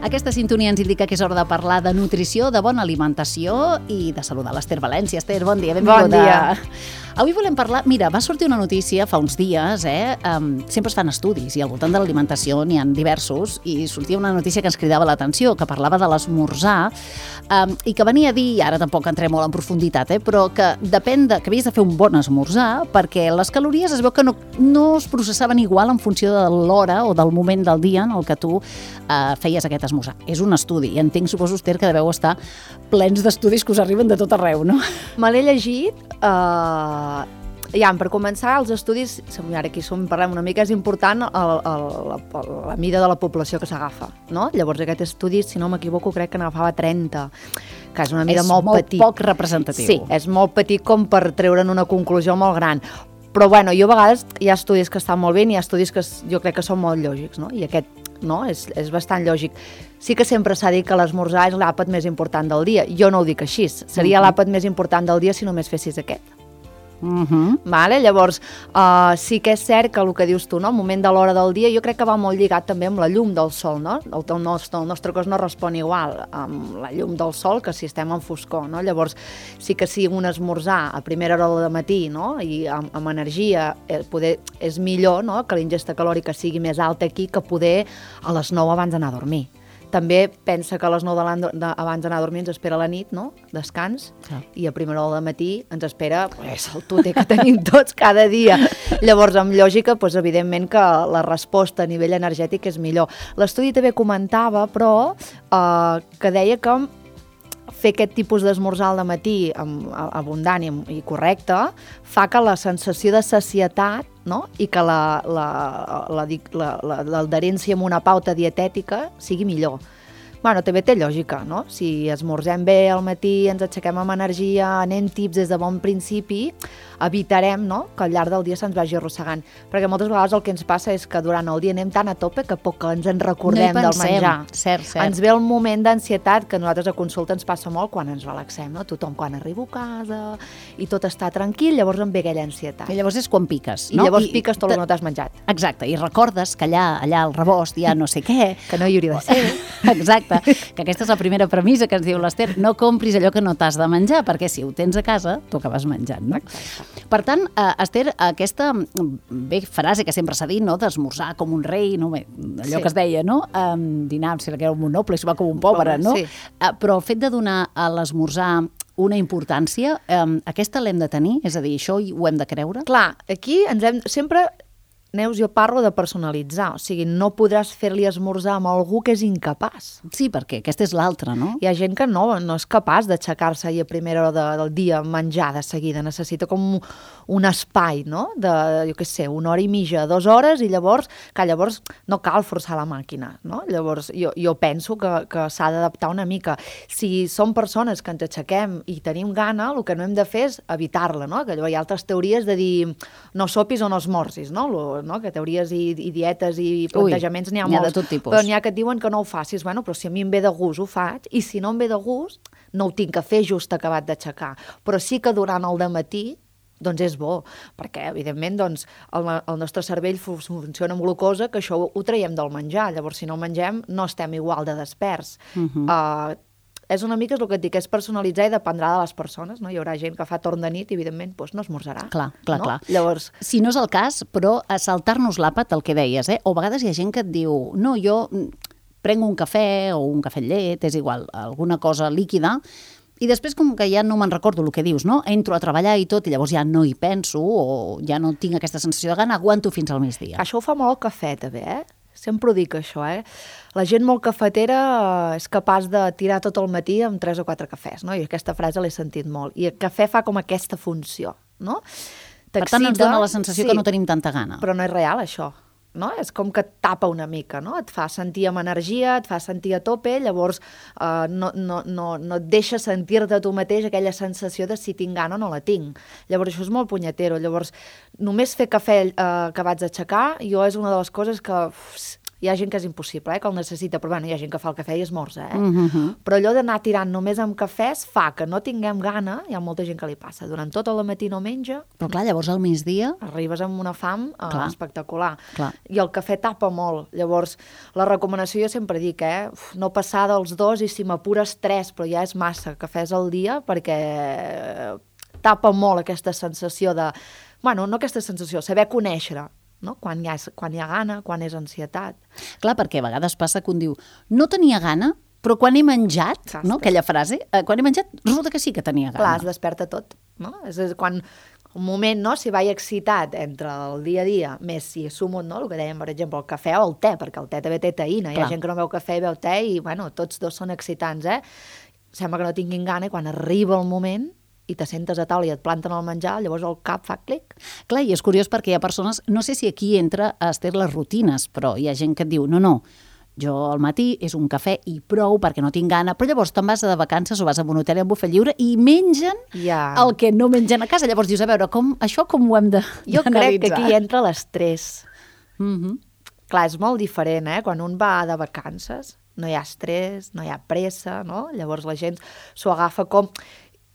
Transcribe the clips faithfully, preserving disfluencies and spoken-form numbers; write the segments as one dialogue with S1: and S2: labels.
S1: Aquesta sintonia ens indica que és hora de parlar de nutrició, de bona alimentació i de saludar l'Ester València. Ester, bon dia, benvinguda.
S2: Bon dia.
S1: Avui volem parlar... Mira, va sortir una notícia fa uns dies, eh? Um, sempre es fan estudis i al voltant de l'alimentació n'hi ha diversos, i sortia una notícia que ens cridava l'atenció, que parlava de l'esmorzar, um, i que venia a dir, ara tampoc entrem molt en profunditat, eh? Però que depèn de... que havies de fer un bon esmorzar, perquè les calories es veu que no, no es processaven igual en funció de l'hora o del moment del dia en el que tu uh, feies aquest esmorzar. És un estudi, i entenc, suposo, Esther, que deveu estar plens d'estudis que us arriben de tot arreu, no?
S2: Me l'he llegit. Uh, ja, per començar, els estudis, ara aquí som, parlem una mica, és important el, el, la, la mida de la població que s'agafa, no? Llavors aquest estudi, si no m'equivoco, crec que n'agafava trenta, que és una mida
S1: és
S2: molt,
S1: molt
S2: petit.
S1: poc representatiu.
S2: Sí, és molt petit com per treure'n una conclusió molt gran. Però bueno, jo a vegades hi ha estudis que estan molt bé i hi ha estudis que jo crec que són molt lògics, no? I aquest no? És, és bastant lògic. Sí que sempre s'ha dit que l'esmorzar és l'àpat més important del dia. Jo no ho dic així. Seria uh-huh. l'àpat més important del dia si només fessis aquest.
S1: Uh-huh.
S2: Vale? Llavors, uh, sí que és cert que el que dius tu, no? El moment de l'hora del dia, jo crec que va molt lligat també amb la llum del sol, no? El, el, nostre, el nostre cos no respon igual amb la llum del sol que si estem en foscor, no? Llavors, sí que si un esmorzar a primera hora del matí, no? I amb, amb energia, eh, poder, és millor, no? Que la ingesta calòrica sigui més alta aquí que poder a les nou abans d'anar a dormir. També pensa que a les nou de de, abans d'anar a dormir ens espera la nit, no? Descans, sí. I a primera hora del matí ens espera pues, el tuter que tenim tots cada dia. Llavors, amb lògica, pues, evidentment que la resposta a nivell energètic és millor. L'estudi també comentava, però, eh, que deia que fer aquest tipus d'esmorzar al matí abundant i, i correcte fa que la sensació de sacietat, no? I que l'adherència amb una pauta dietètica sigui millor. Bueno, també té lògica, no? Si esmorzem bé al matí, ens aixequem amb energia, anem tips des de bon principi, evitarem, no? Que al llarg del dia se'ns vagi arrossegant. Perquè moltes vegades el que ens passa és que durant el dia anem tan a tope que poc ens en recordem
S1: no
S2: del menjar.
S1: Cert, cert.
S2: Ens ve el moment d'ansietat que a nosaltres a consulta ens passa molt quan ens relaxem, no? Tothom quan arriba a casa i tot està tranquil, llavors em ve aquella ansietat.
S1: I llavors és quan piques,
S2: no? I llavors
S1: I,
S2: piques tot el que no t'has menjat.
S1: Exacte, i recordes que allà, allà al rebost hi ha no sé què.
S2: Que no hi hauria de ser.
S1: Exacte. Que aquesta és la primera premissa que ens diu l'Ester, no compris allò que no t'has de menjar, perquè si ho tens a casa, t'ho acabes menjant, no?
S2: Exacte.
S1: Per tant, eh, Esther, aquesta bé, frase que sempre s'ha dit, no?, d'esmorzar com un rei, no? Bé, allò sí. Que es deia, no? Um, dinar, si era un noble, si va com un pobre, no?
S2: Sí.
S1: Uh, però el fet de donar a l'esmorzar una importància, um, aquesta l'hem de tenir? És a dir, això ho hem de creure?
S2: Clar, aquí ens hem... Sempre... Neus, jo parlo de personalitzar, o sigui, no podràs fer-li esmorzar amb algú que és incapaç.
S1: Sí, perquè aquesta és l'altra, no?
S2: Hi ha gent que no, no és capaç d'aixecar-se i a primera hora de, del dia menjar de seguida, necessita com un espai, no? De, jo què sé, una hora i mitja, dues hores, i llavors, que llavors no cal forçar la màquina, no? Llavors, jo, jo penso que, que s'ha d'adaptar una mica. Si som persones que ens aixequem i tenim gana, el que no hem de fer és evitar-la, no? Que hi ha altres teories de dir no sopis o no esmorzis, no? Lo, no? Que teories i, i dietes i plantejaments n'hi ha,
S1: n'hi ha
S2: molts,
S1: de tot tipus.
S2: Però n'hi ha que et diuen que no ho facis. Bueno, però si a mi em ve de gust ho faig, i si no em ve de gust no ho tinc que fer just acabat d'aixecar. Però sí que durant el dematí doncs és bo, perquè evidentment doncs, el, el nostre cervell funciona amb glucosa, que això ho, ho traiem del menjar. Llavors si no mengem no estem igual de desperts. Uh-huh. uh, És una mica el que et dic, és personalitzar i dependrà de les persones, no? Hi haurà gent que fa torn de nit i, evidentment, doncs no esmorzarà.
S1: Clar, clar,
S2: no?
S1: clar.
S2: Llavors...
S1: Si no és el cas, però a saltar-nos l'àpat, el que deies, eh? O a vegades hi ha gent que et diu, no, jo prenc un cafè o un cafè amb llet, és igual, alguna cosa líquida, i després com que ja no me'n recordo el que dius, no? Entro a treballar i tot, i llavors ja no hi penso, o ja no tinc aquesta sensació de gana, aguanto fins al migdia.
S2: Això ho fa molt el cafè, també, eh? Sempre ho dic, això, eh? La gent molt cafetera és capaç de tirar tot el matí amb tres o quatre cafès, no? I aquesta frase l'he sentit molt. I el cafè fa com aquesta funció, no?
S1: Per tant, ens dona la sensació
S2: sí,
S1: que no tenim tanta gana.
S2: Però no és real, això. No? És com que et tapa una mica, no? Et fa sentir amb energia, et fa sentir a tope, llavors eh, no, no, no, no et deixa sentir-te tu mateix aquella sensació de si tinc gana o no la tinc. Llavors això és molt punyetero. Llavors només fer cafè eh, acabats d'aixecar, jo és una de les coses que uf, hi ha gent que és impossible, eh, que el necessita, però bueno, hi ha gent que fa el cafè i esmorza, eh?
S1: Uh-huh.
S2: Però allò d'anar tirant només amb cafès fa que no tinguem gana, hi ha molta gent que li passa. Durant tot el matí no menja.
S1: Però clar, llavors al migdia...
S2: Arribes amb una fam eh,
S1: Clar.
S2: espectacular.
S1: Clar.
S2: I el cafè tapa molt. Llavors, la recomanació jo sempre dic, eh, uf, no passar dels dos i si m'apures tres, però ja és massa cafès al dia perquè tapa molt aquesta sensació de... Bueno, no aquesta sensació, saber conèixer, no? Quan hi ha, quan hi ha gana, quan és ansietat.
S1: Clar, perquè a vegades passa que un diu no tenia gana, però quan he menjat,
S2: Exacte.
S1: no? Aquella frase, eh, quan he menjat resulta que sí que tenia gana.
S2: Clar, es desperta tot, no? És, és quan un moment, no?, si vaig excitat entre el dia a dia, més si sumo, no?, el que dèiem, per exemple, el cafè o el te, perquè el te també té teïna. Hi
S1: Clar.
S2: ha gent que no beu cafè i beu te i, bueno, tots dos són excitants, eh? Sembla que no tinguin gana i quan arriba el moment i te sentes a taula i et planten el menjar, llavors el cap fa clic.
S1: Clar, i és curiós perquè hi ha persones, no sé si aquí entra a Esther les rutines, però hi ha gent que et diu, no, no, jo al matí és un cafè i prou perquè no tinc gana, però llavors te'n vas de vacances o vas a un hotel amb bufet lliure i mengen
S2: Ja.
S1: el que no mengen a casa. Llavors dius, a veure, com, això com ho hem de
S2: Jo crec que aquí entra l'estrès.
S1: Uh-huh.
S2: Clar, és molt diferent, eh? Quan un va de vacances, no hi ha estrès, no hi ha pressa, no? Llavors la gent s'ho agafa com...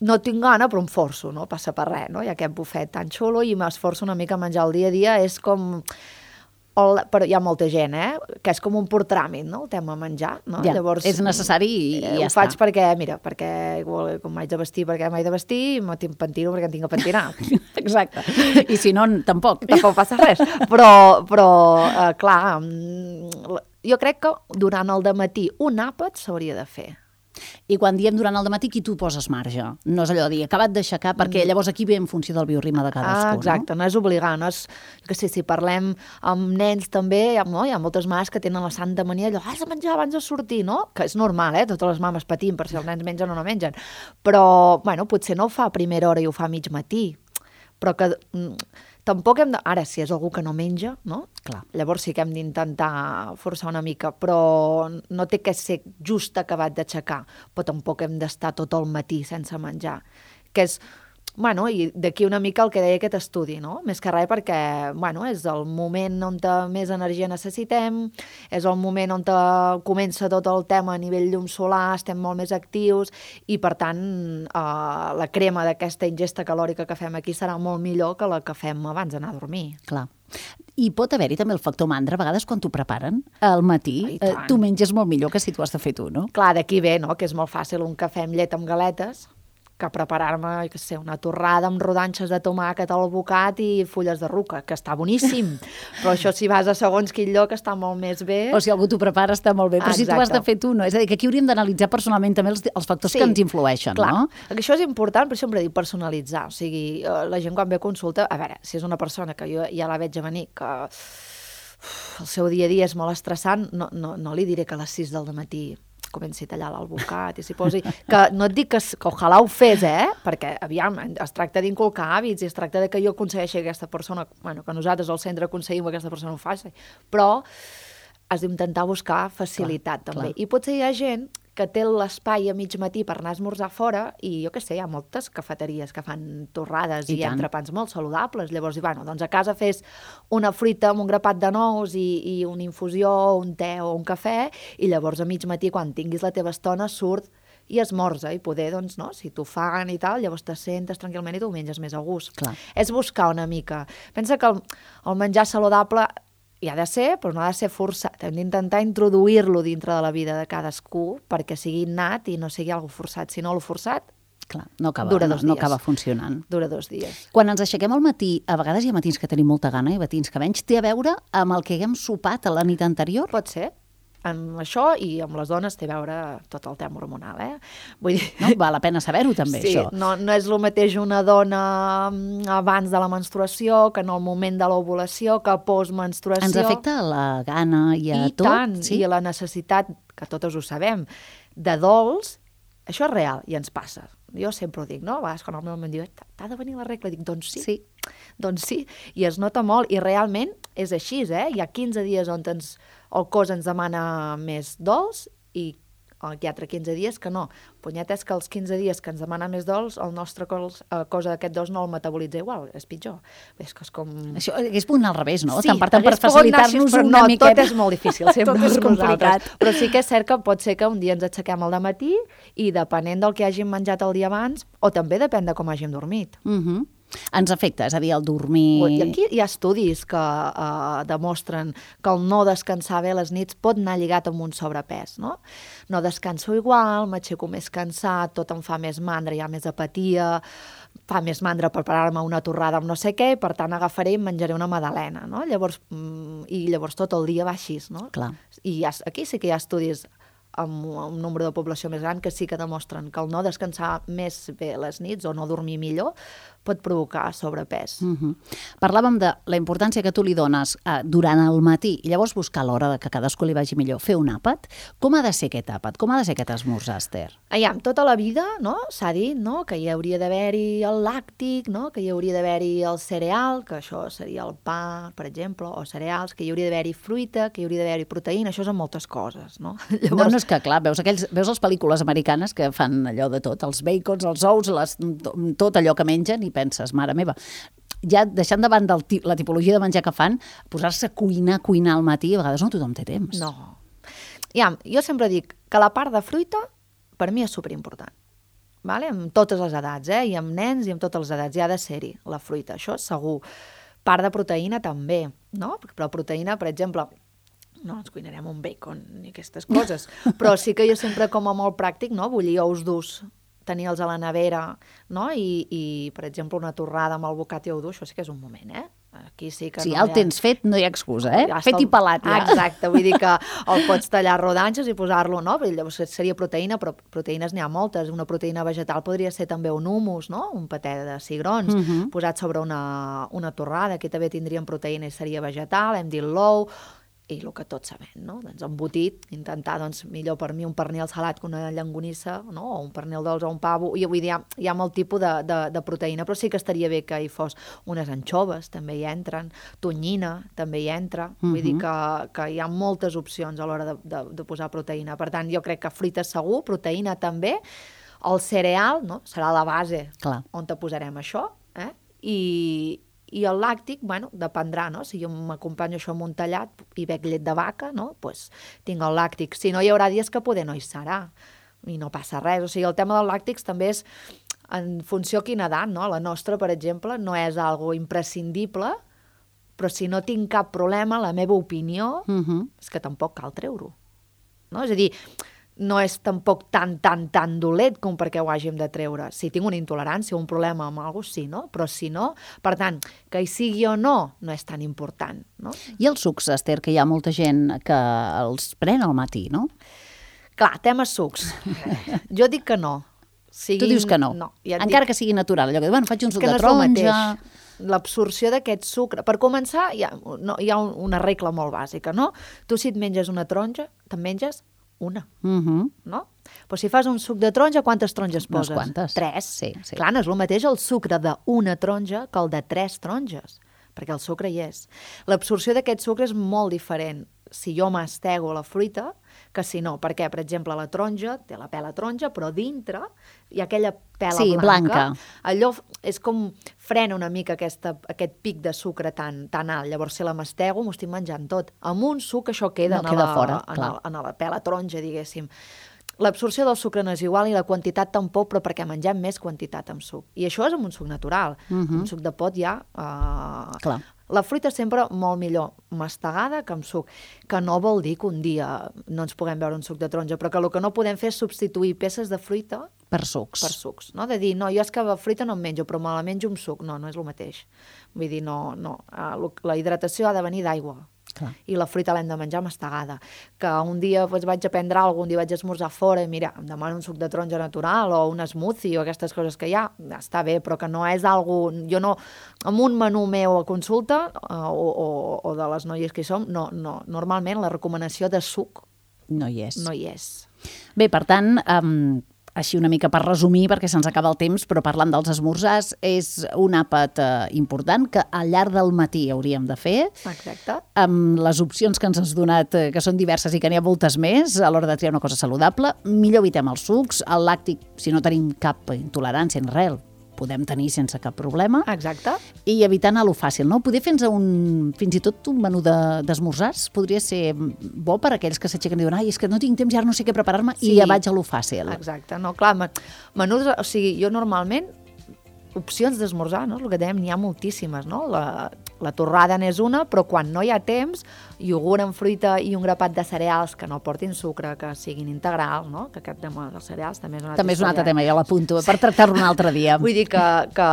S2: No tinc gana, però em forço, no passa per res, no? Hi ha aquest bufet tan xulo i m'esforço una mica a menjar el dia a dia, és com... El, però hi ha molta gent, eh? Que és com un pur tràmit, no? El tema menjar, no?
S1: Ja,
S2: Llavors,
S1: és necessari i, i
S2: eh,
S1: ja
S2: ho faig
S1: està.
S2: perquè, mira, perquè igual, com m'haig de vestir perquè m'haig de vestir, i me pentino perquè em tinc que pentinar.
S1: Exacte. I si no, tampoc.
S2: Tampoc passa res. Però, però eh, clar, mm, jo crec que durant el dematí un àpat s'hauria de fer.
S1: I quan diem durant el dematí, qui tu poses marge? No és allò de dir, acabat d'aixecar, perquè llavors aquí ve en funció del bioritme de cadascú,
S2: Ah, exacte, no és obligar, no és, jo què sé, si parlem amb nens també, no? Hi ha moltes mares que tenen la santa mania allò, has de menjar abans de sortir, no? Que és normal, eh? Totes les mames patim per si els nens mengen o no mengen. Però, bueno, potser no ho fa a primera hora i ho fa a mig matí, però que mm, tampoc hem de... Ara, si és algú que no menja, no?
S1: Clar.
S2: Llavors sí que hem d'intentar forçar una mica, però no té que ser just acabat d'aixecar, però tampoc hem d'estar tot el matí sense menjar, que és... Bueno, i d'aquí una mica el que deia aquest estudi, no? Més que res perquè, bueno, és el moment on més energia necessitem, és el moment on comença tot el tema a nivell llum solar, estem molt més actius i, per tant, eh, la crema d'aquesta ingesta calòrica que fem aquí serà molt millor que la que fem abans d'anar a dormir.
S1: Clar. I pot haver-hi també el factor mandra, a vegades quan t'ho preparen al matí,
S2: Ai,
S1: eh,
S2: tant.
S1: tu menges molt millor que si t'ho has de fer tu, no?
S2: Clar, d'aquí ve, no?, que és molt fàcil un cafè amb llet amb galetes, que preparar-me, jo què sé, una torrada amb rodanxes de tomàquet al bocat i fulles de ruca, que està boníssim. Però això si vas a segons quin lloc està molt més bé.
S1: O si algú t'ho prepara està molt bé, però si
S2: Exacte.
S1: t'ho has de fer tu, no? És a dir, que aquí hauríem d'analitzar personalment també els, els factors
S2: Sí,
S1: que ens influeixen,
S2: clar.
S1: no?
S2: Això és important, però sempre dic personalitzar. O sigui, eh, la gent quan ve a consulta, a veure, si és una persona que jo ja la veig a venir, que uf, el seu dia a dia és molt estressant, no, no, no li diré que a les sis del matí comenci a tallar l'alvocat i s'hi posi... Que no et dic que, que ojalà ho fes, eh? Perquè, aviam, es tracta d'inculcar hàbits i es tracta de que jo aconsegueixi que aquesta persona, bueno, que nosaltres al centre aconseguim que aquesta persona ho faci, però has d'intentar buscar facilitat,
S1: Clar,
S2: també.
S1: clar.
S2: I potser hi ha gent que té l'espai a mig matí per anar a esmorzar fora i jo què sé, hi ha moltes cafeteries que fan torrades
S1: I
S2: i, i
S1: tant.
S2: entrepans molt saludables. Llavors, bueno, doncs a casa fes una fruita amb un grapat de nous i, i una infusió, un te o un cafè i llavors a mig matí, quan tinguis la teva estona, surt i esmorza i poder, doncs, no, si t'ho fan i tal, llavors te sentes tranquil·lament i t'ho menges més a gust.
S1: Clar.
S2: És buscar una mica. Pensa que el, el menjar saludable hi ha de ser, però no ha de ser forçat. Hem d'intentar introduir-lo dintre de la vida de cadascú perquè sigui innat i no sigui algo forçat. Si no, el forçat
S1: Clar, no acaba,
S2: Dura
S1: no,
S2: dos
S1: no
S2: dies.
S1: acaba funcionant.
S2: dura dos dies.
S1: Quan ens aixequem al matí, a vegades hi ha matins que tenim molta gana i matins que menys, té a veure amb el que haguem sopat a la nit anterior?
S2: Pot ser. Amb això i amb les dones té a veure tot el tema hormonal, eh? Vull dir...
S1: No? Val la pena saber-ho també,
S2: sí,
S1: això.
S2: no, no és el mateix una dona mm, abans de la menstruació que en el moment de l'ovulació, que postmenstruació.
S1: Ens afecta a la gana i a
S2: I
S1: tot?
S2: tant,
S1: sí?
S2: i a la necessitat, que totes ho sabem, de dolç, això és real i ens passa. Jo sempre ho dic, no? A vegades quan el meu home em diu, t'ha de venir la regla, dic, doncs sí.
S1: Sí.
S2: Doncs sí, i es nota molt, i realment és així, eh? Hi ha quinze dies on ens, el cos ens demana més dolç i aquí altre quinze dies que no. Punyet és que els quinze dies que ens demana més dols, el nostre cos, eh, cosa d'aquest dos no el metabolitza igual, és pitjor. És que és com...
S1: Això hagués pogut anar al revés, no?
S2: Sí,
S1: Tant per tant, per
S2: hagués pogut anar
S1: facilitar-nos
S2: així, però
S1: una
S2: no,
S1: miqueta.
S2: tot és molt difícil, sempre
S1: Tot és
S2: per nosaltres.
S1: complicat.
S2: Però sí que és cert que pot ser que un dia ens aixequem al dematí i depenent del que hàgim menjat el dia abans, o també depèn de com hàgim dormit.
S1: Uh-huh. Ens afecta, és a dir, el dormir...
S2: I aquí hi ha estudis que uh, demostren que el no descansar bé les nits pot anar lligat amb un sobrepès, no? No descanso igual, m'aixeco més cansat, tot em fa més mandra, hi ha més apatia, fa més mandra preparar-me una torrada amb no sé què, per tant agafaré i em menjaré una magdalena, no? Llavors, mm, i llavors tot el dia va així, no?
S1: Clar.
S2: I hi ha, aquí sí que hi ha estudis amb un nombre de població més gran que sí que demostren que el no descansar més bé les nits o no dormir millor pot provocar sobrepès.
S1: Uh-huh. Parlàvem de la importància que tu li dones eh, durant el matí i llavors buscar l'hora de que cadascú li vagi millor. Fer un àpat? Com ha de ser aquest àpat? Com ha de ser aquest esmorzar, Esther?
S2: Aviam, tota la vida, no? S'ha dit, no? Que hi hauria d'haver-hi el làctic, no? Que hi hauria d'haver-hi el cereal, que això seria el pa, per exemple, o cereals, que hi hauria d'haver-hi fruita, que hi hauria d'haver-hi proteïna, això són moltes coses, no?
S1: Llavors... No, no és que, clar, veus, aquells, veus les pel·lícules americanes que fan allò de tot, els bacons, els ous, les, tot allò que mengen, i penses, mare meva, ja deixant de banda el, la tipologia de menjar que fan, posar-se a cuinar, cuinar al matí, a vegades no tothom té temps.
S2: No. Ja, jo sempre dic que la part de fruita per mi és superimportant. Vale? Amb totes les edats, eh? I amb nens i amb totes les edats. Ja ha de ser-hi, la fruita, això segur. Part de proteïna també, no? Però proteïna, per exemple, no ens cuinarem un bacon ni aquestes coses, però sí que jo sempre, com a molt pràctic, no? Bullir ous durs, tenir-los a la nevera, no? I, i, per exemple, una torrada amb el bocat i ou dur, això sí que és un moment, eh? Aquí sí que
S1: si
S2: no
S1: ja el
S2: ha...
S1: tens fet, no hi ha excusa, eh?
S2: Ja
S1: fet
S2: el...
S1: i pelat, ja.
S2: Exacte, vull dir que el pots tallar rodanxes i posar-lo, no? Llavors seria proteïna, però proteïnes n'hi ha moltes. Una proteïna vegetal podria ser també un hummus, no? Un patè de cigrons, uh -huh. posat sobre una, una torrada, que també tindríem proteïna i seria vegetal, hem dit l'ou, i el que tots sabem, no? Doncs embotit, intentar, doncs, millor per mi un pernil salat que una llonganissa, no? O un pernil dolç o un pavo, i vull dir, hi ha, hi ha molt tipus de, de, de proteïna, però sí que estaria bé que hi fos unes anxoves, també hi entren, tonyina, també hi entra, uh-huh. Vull dir que, que hi ha moltes opcions a l'hora de, de, de posar proteïna, per tant, jo crec que fruita segur, proteïna també, el cereal, no? Serà la base.
S1: Clar.
S2: On te posarem això, eh? I... I el làctic, bueno, dependrà, no? Si jo m'acompanyo això amb un tallat i bec llet de vaca, no? Pues tinc el làctic. Si no, hi haurà dies que poder no hi serà i no passa res. O sigui, el tema dels làctics també és en funció a quina edat, no? La nostra, per exemple, no és algo imprescindible, però si no tinc cap problema, la meva opinió uh-huh. és que tampoc cal treure-ho. No? És a dir, no és tampoc tan, tan, tan dolent com perquè ho hàgim de treure. Si tinc una intolerància o un problema amb alguna cosa, sí, no? Però si no, per tant, que hi sigui o no, no és tan important, no?
S1: I els sucs, Esther, que hi ha molta gent que els pren al matí, no?
S2: Clar, tema sucs. Jo dic que no.
S1: Siguin... Tu dius que no?
S2: No. Ja
S1: encara
S2: dic...
S1: que sigui natural. Allò que, bueno, faig un suc
S2: que
S1: de
S2: no
S1: taronja...
S2: L'absorció d'aquest sucre. Per començar, hi ha, no, hi ha una regla molt bàsica, no? Tu si et menges una taronja, te'n menges una,
S1: uh-huh.
S2: no? Però si fas un suc de taronja, quantes taronges poses?
S1: Unes quantes.
S2: Tres.
S1: Sí, sí.
S2: Clar, no és el mateix el sucre d'una taronja que el de tres taronges, perquè el sucre hi és. L'absorció d'aquest sucre és molt diferent si jo mastego la fruita que si no. Perquè, per exemple, la taronja té la pela taronja, però dintre hi ha aquella pela
S1: sí,
S2: blanca.
S1: blanca.
S2: Allò és com frena una mica aquesta, aquest pic de sucre tan, tan alt. Llavors, si la mastego, m'ho estic menjant tot. Amb un suc això queda,
S1: no
S2: en,
S1: queda
S2: la,
S1: fora,
S2: en, la, en la pela taronja, diguéssim. L'absorció del sucre no és igual i la quantitat tampoc, però perquè mengem més quantitat amb suc. I això és amb un suc natural. Uh-huh. Un suc de pot ja... Uh...
S1: Clar.
S2: La fruita sempre molt millor mastegada que amb suc, que no vol dir que un dia no ens puguem beure un suc de taronja, però que el que no podem fer és substituir peces de fruita
S1: per sucs.
S2: Per sucs, no? De dir, no, jo és que la fruita no em menjo, però me la menjo amb suc. No, no és el mateix. Vull dir, no, no. La hidratació ha de venir d'aigua. Clar. I la fruita l'hem de menjar mastegada. Que un dia doncs, vaig a prendre alguna cosa, un dia vaig a esmorzar fora i mira, em demano un suc de taronja natural o un smoothie o aquestes coses que hi ha, està bé, però que no és algo... Jo no... Amb un menú meu a consulta o, o, o de les noies que hi som, no, no, normalment la recomanació de suc
S1: no hi és.
S2: No hi és.
S1: Bé, per tant... Um... així una mica per resumir, perquè se'ns acaba el temps, però parlant dels esmorzars, és un àpat eh, important que al llarg del matí hauríem de fer.
S2: Exacte.
S1: Amb les opcions que ens has donat, eh, que són diverses i que n'hi ha moltes més, a l'hora de triar una cosa saludable, millor evitem els sucs, el làctic, si no tenim cap intolerància en res, podem tenir sense cap problema.
S2: Exacte.
S1: I evitant a lo fàcil, no? Poder fer-nos un, fins i tot un menú d'esmorzars de, podria ser bo per a aquells que s'aixequen i diuen ai, és que no tinc temps i ara no sé què preparar-me, sí. I ja vaig a lo fàcil.
S2: Exacte, no, clar, menús, o sigui, jo normalment opcions d'esmorzar, no? El que dèiem, n'hi ha moltíssimes, no? La, la torrada n'és una, però quan no hi ha temps, iogurt amb fruita i un grapat de cereals que no portin sucre, que siguin integrals, no? Que aquest tema dels cereals també és un altre
S1: També és un altre tema, ja l'apunto, per tractar-lo un altre dia.
S2: Vull dir que, que,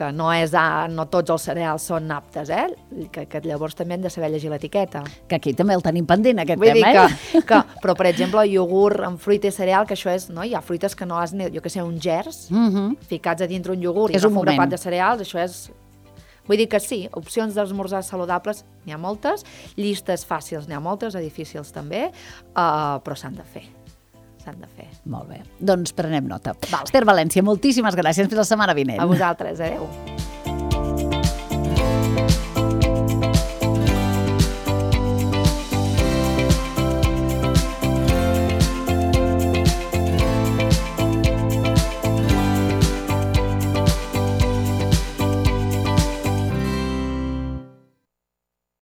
S2: que no, és, no tots els cereals són aptes, eh? Que, que llavors també hem de saber llegir l'etiqueta.
S1: Que aquí també el tenim pendent, aquest
S2: Vull
S1: tema,
S2: dir
S1: eh?
S2: Que, que, però, per exemple, iogurt amb fruita i cereal, que això és, no? Hi ha fruites que no has, jo que sé, un gers,
S1: Mm-hmm.
S2: ficats a dintre un iogurt i
S1: És un
S2: un
S1: moment.
S2: grapat de cereals, això és... Vull dir que sí, opcions d'esmorzars saludables n'hi ha moltes, llistes fàcils n'hi ha moltes, difícils també, uh, però s'han de fer. S'han de fer.
S1: Molt bé, doncs prenem nota.
S2: Vale.
S1: Esther València, moltíssimes gràcies. Fins la setmana vinent.
S2: A vosaltres, adeu.